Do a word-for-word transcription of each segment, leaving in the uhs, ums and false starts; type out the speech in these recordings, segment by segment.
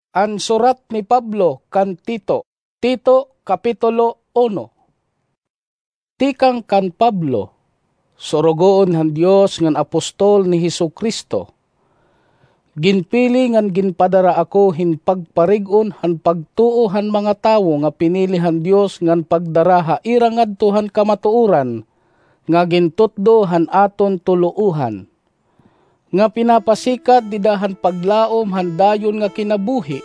An surat ni Pablo kan Tito. Tito, Kapitulo uno. Tikang kan Pablo, surugoon han Dios ngan apostol ni Jesu-Cristo. Ginpili ngan ginpadara ako hin pagparig-on han pagtuo han mga tawo nga pinili han Dios ngan pagdara ha ira ngadto han kamatuoran nga gintutdo han aton tuluohan, nga pinapasikat dida han paglaom han dayon nga kinabuhi.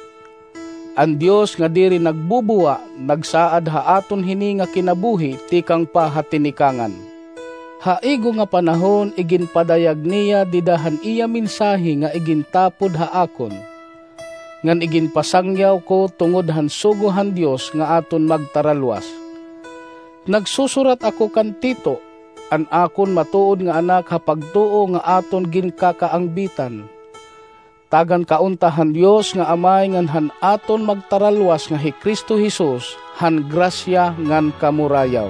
An Dios nga diri nagbubuwa, nagsaad ha aton hini nga kinabuhi tikang pa ha tinikangan. Ha igo nga panahon, iginpadayag niya dida han iya mensahe nga igintapod ha akon, ngan iginpasangyaw ko tungod han sugo han Dios nga aton magtaralwas. Nagsusurat ako kan Tito, an akon matuod nga anak ha pagtuo nga aton ginkakaangbitan, tagan kaunta han Dios nga Amay ngan han aton magtaralwas nga hi Cristo Jesus, han grasya ngan kamurayaw.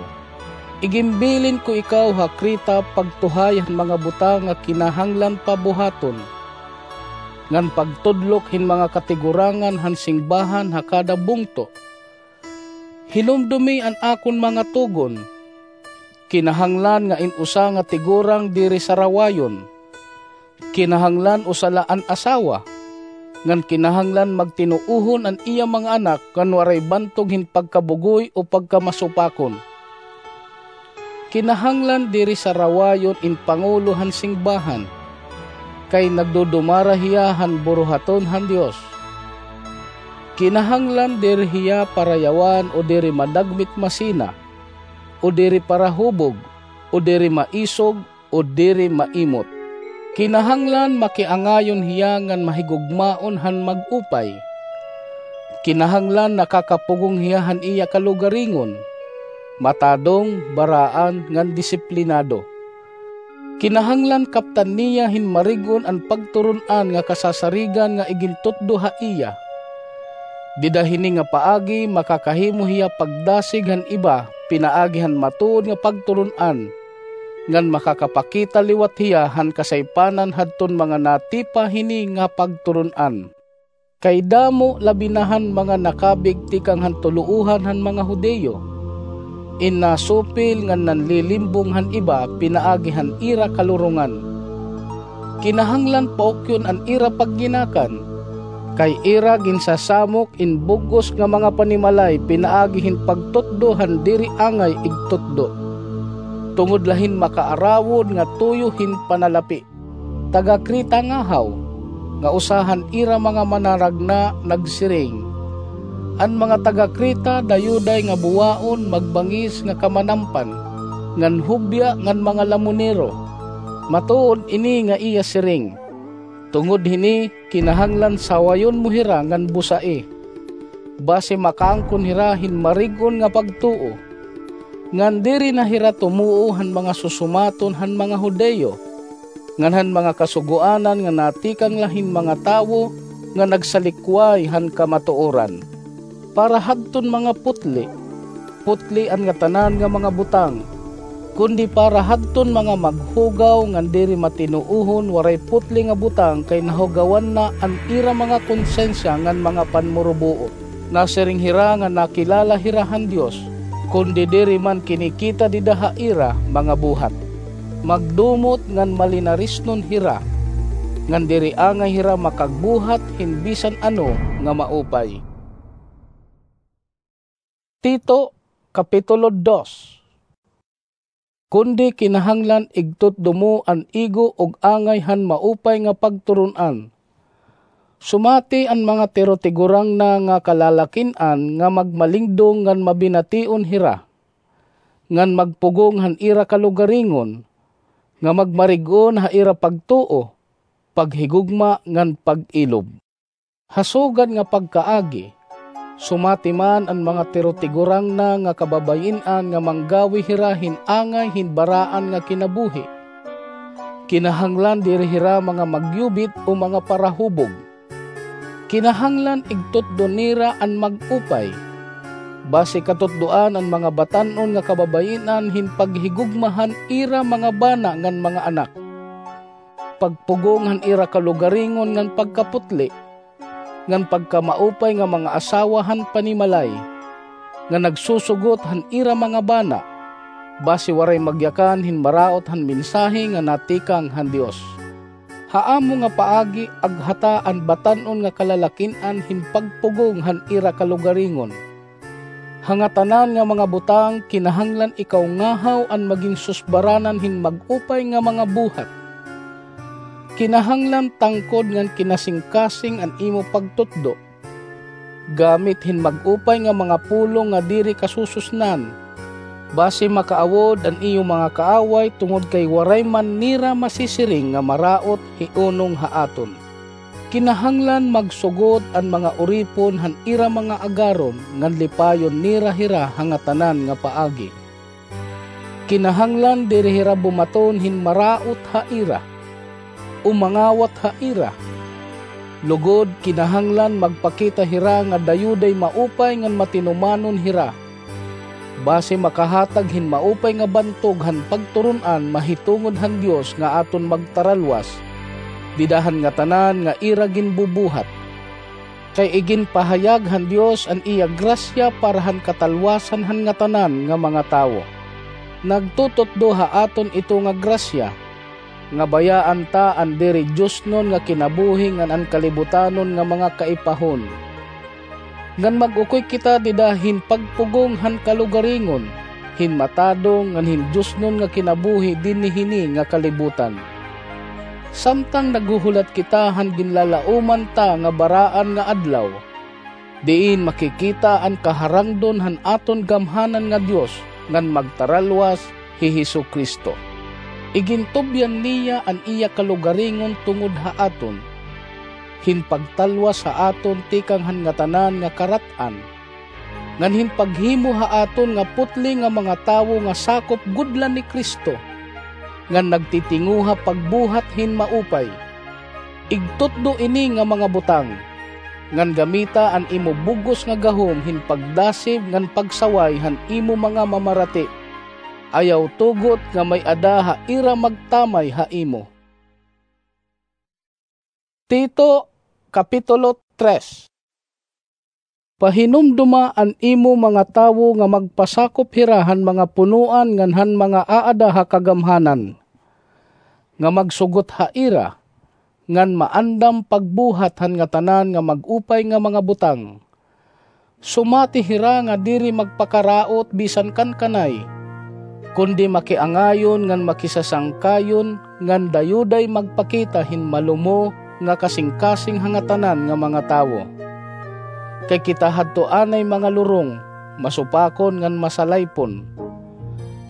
Iginbilin ko ikaw ha Creta pagtuhay han mga butang nga kinahanglan pa buhaton, ngan pagtudlok hin mga katigurangan han singbahan ha kada bungto. Hinumdumi an akon mga tugon. Kinahanglan nga in usa nga tigurang diri sarawayon. Kinahanglan usa la an asawa, ngan kinahanglan magtinuohon an iya mga anak ngan waray bantog hin pagkabugoy o pagkamasupakon. Kinahanglan diri sarawayon in pangulo han singbahan, kay nagdudumara hiya han buruhaton han Dios. Kinahanglan diri hiya parayawan o diri madagmit masina, o diri parahubog, o diri maisog, o diri maimot. Kinahanglan makiangayon hiya ngan mahigugmaon han mag-upay. Kinahanglan nakakapugong hiya han iya kalugaringon, matadong, baraan, ngan disiplinado. Kinahanglan kaptan niya hin marig-on an pagturon-an nga kasasarigan nga igintutdo ha iya. Dida hini nga paagi makakahimo hiya pagdasig han iba pinaagi han matuod nga pagturon-an, ngan makakapakita liwat hiya han kasaypanan hadton mga natipa hini nga pagturon-an. Kay damo labi na han mga nakabig tikang han tuluohan han mga Judio, in nasupil ngan nanlilimbong han iba pinaagi han ira kalurongan. Kinahanglan paukyon an ira pagginakan, kay ira ginsasamok in bug-os nga mga panimalay pinaagi hin pagtutdo han diri angay igtutdo, tungod la hin makaarawod nga tuyo hin panalapi. Taga-Creta ngahaw, nga usa han ira mga manaragna, nagsiring, "An mga taga-Creta dayuday nga buwaon, magbangis nga kamanampan, ngan hubya ngan mga lamonero." Matuod ini nga iya siring. Tungod hini, kinahanglan sawayon mo hira ngan busai, basi makaangkon hira hin marig-on nga pagtuo, ngan diri na hira tumuo han mga susumaton han mga Judio, ngan han mga kasugoanan nga natikang la hin mga tawo nga nagsalikway han kamatuoran. Para hadton mga putli, putli an ngatanan nga mga butang, kundi para hadton mga maghugaw ngan diri matinuohon waray putli nga butang, kay nahugawan na an ira mga konsensiya ngan mga panmurubuot. Nasiring hira nga nakilala hira han Dios, kundi diri man kinikita dida ha ira mga buhat. Magdumot ngan malinarisnon hira, ngan diri angay hira makagbuhat hin bisan ano nga maupay. Tito, Kapitulo dos. Kundi kinahanglan igtutdo mo an igo ug angay han maupay nga pagturon-an. Sumati an mga tirutigurangna nga kalalakin-an nga magmalingdong ngan mabination hira, ngan magpugong han ira kalugaringon, nga magmarig-on ha ira pagtuo, paghigugma, ngan pag-ilob. Ha sugad nga pagkaagi, sumati man an mga tirutigurangna nga kababayin-an nga manggawi hira hin angay hin baraan nga kinabuhi. Kinahanglan diri hira mga magyubit o mga parahubog. Kinahanglan igtutdo nira an mag-upay. Basi katutdoan an mga batan-on nga kababayin-an hin paghigugma han ira mga bana ngan mga anak, pagpugong han ira kalugaringon ngan pagkaputli, ngan pagkamaupay nga mga asawa han panimalay, nga nagsusugot han ira mga bana, basi waray magyakan hin maraot han mensahe nga natikang han Dios. Ha amo nga paagi, aghata an batan-on nga kalalakin-an hin pagpugong han ira kalugaringon. Ha ngatanan nga mga butang, kinahanglan ikaw ngahaw an magin susbaranan hin mag-upay nga mga buhat. Kinahanglan tangkod ngan kinasingkasing an imo pagtutdo. Gamit hin mag-upay nga mga pulong nga diri kasususnan, basi makaawod an iyo mga kaaway tungod kay waray man nira masisiring nga maraot hiunong ha aton. Kinahanglan magsugot an mga uripon han ira mga agaron ngan lipayon nira hira ha ngatanan nga paagi. Kinahanglan diri hira bumaton hin maraot ha ira, o mangawat ha ira. Lugod, kinahanglan magpakita hira nga dayoday maupay ngan matinumanon hira, basi makahatag hin maupay nga bantog han pagturun-an mahitungod han Dios nga aton magtaralwas dida han ngatanan nga ira ginbubuhat. Kay iginpahayag han Dios an iya grasya para han katalwasan han ngatanan nga mga tawo. Nagtututdo ha aton ito nga grasya, nga bayaan ta an diri diosnon nga kinabuhi ngan an kalibutanon nga mga kaipahon. Ngan mag-ukoy kita dida hin pagpugong han kalugaringon, hin matadong ngan hin diosnon nga kinabuhi dinhi hini nga kalibutan. Samtang naghuhulat kita han ginlalaoman ta nga baraan nga adlaw, diin makikita an kaharangdon han aton gamhanan nga Dios ngan magtaralwas hi Jesu-Cristo. Igintubyan niya an iya kalugaringon tungod ha aton, hin pagtalwas ha aton tikang han ngatanan nga karat-an, ngan hin paghimo ha aton nga putli nga mga tawo nga sakop gud la ni Cristo, ngan nagtitinguha pagbuhat hin maupay. Igtutdo ini nga mga butang, ngan gamita an imo bug-os nga gahom hin pagdasib ngan pagsaway han imo mga mamarati. Ayaw tugot nga may-ada ha ira magtamay ha imo. Tito, Kapitulo tres. Pahinumdoma an imo mga tawo nga magpasakop hira han mga punoan ngan han mga aada ha kagamhanan, nga magsugot ha ira, ngan maandam pagbuhat han ngatanan nga mag-upay nga mga butang. Sumati hira nga diri magpakaraot bisan kan kanay, kundi makiangayon ngan makisasangkayon, ngan dayuday magpakita hin malumo nga kasingkasing ha ngatanan nga mga tawo. Kay kita hadto anay mga lurong, masupakon ngan masalaypon.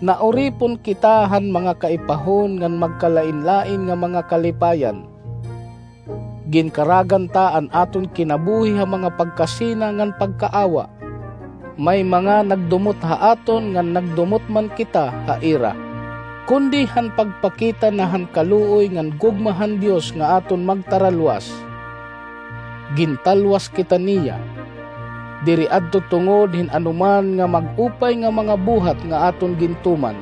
Nauripon kita han mga kaipahon ngan magkalainlain nga mga kalipayan. Ginkaragan ta an aton kinabuhi ha mga pagkasina ngan pagkaawa. May mga nagdumot ha aton ngan nagdumot man kita ha ira. Kundi han pagpakita na han kaluoy ngan gugma han Dios nga aton magtaralwas, gintalwas kita niya. Diri adto tungod hin anoman nga mag-upay nga mga buhat nga aton gintuman,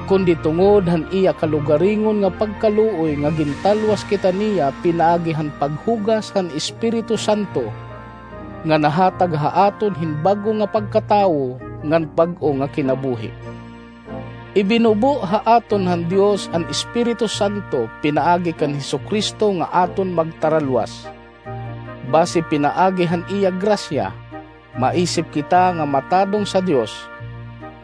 kundi tungod han iya kalugaringon nga pagkaluoy nga gintalwas kita niya pinaagi han paghugas han Espiritu Santo, nga nahatag ha aton hin bag-o nga pagkatawo ngan bag-o nga kinabuhi. Ibinubo ha aton han Dios an Espiritu Santo pinaagi kan Jesu-Cristo nga aton magtaralwas. Basi pinaagi han iya grasya, maisip kita nga matadong sa Dios,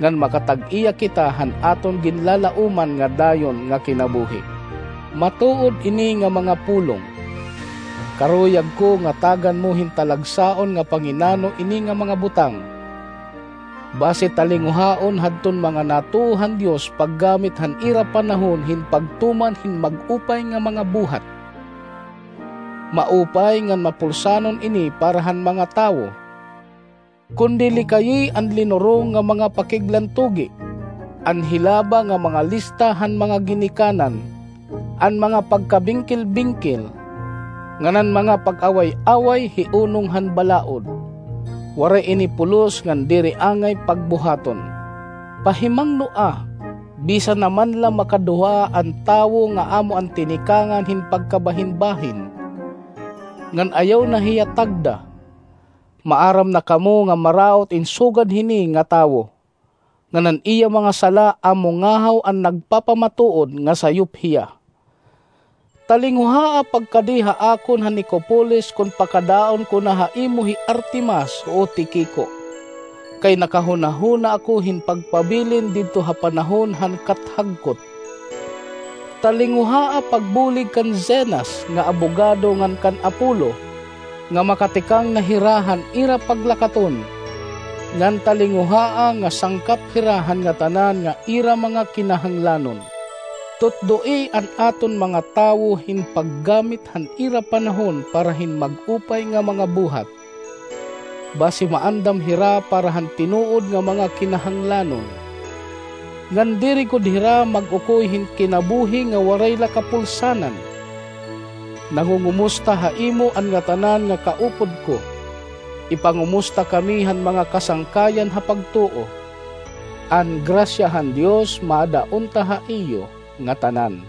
ngan makatag-iya kita han aton ginlalaoman nga dayon nga kinabuhi. Matuod ini nga mga pulong. Karuyag ko nga tagan mo hin talagsaon nga panginano ini nga mga butang. Basi talinguhaon hadton mga natuo han Dios paggamit han ira panahon hin pagtuman hin mag-upay nga mga buhat. Maupay ngan mapulsanon ini para han mga tawo. Kundi likayi an linurong nga mga pakiglantugi, an hilaba nga mga lista han mga ginikanan, an mga pagkabingkil-bingkil, ngan an mga pag-away-away hiunong han balaod. Waray ini pulos ngan diri angay pagbuhaton. Pahimangnoa, bisan na man la makaduha an tawo nga amo an tinikangan hin pagkabahinbahin, ngan ayaw na hiya tagda. Maaram na kamo nga maraot in sugad hini nga tawo, ngan an iya mga sala amo ngahaw an nagpapamatuod nga sayop hiya. Talinguhaa pagkadi ha akon han Nicopolis kon pakadaon ko na ha imo hi Artemas o Tiquico, kay nakahunahuna ako hin pagpabilin didto ha panahon han kathagkot. Talinguhaa pagbulig kan Zenas nga abogado ngan kan Apollo, nga makatikang na hira han ira paglakaton, ngan talinguhaa nga sangkap hira han ngatanan nga ira mga kinahanglanon. Tutdoi an aton mga tawo hin paggamit han ira panahon para hin mag-upay nga mga buhat, basi maandam hira para han tinuod nga mga kinahanglanon. Ngan diri gud hira mag-ukoy hin kinabuhi nga waray la kapulsanan. Nangungumusta ha imo an ngatanan nga kaupod ko. Ipangumusta kami han mga kasangkayan ha pagtuo. An grasya han Dios maada unta ha iyo ngatanan.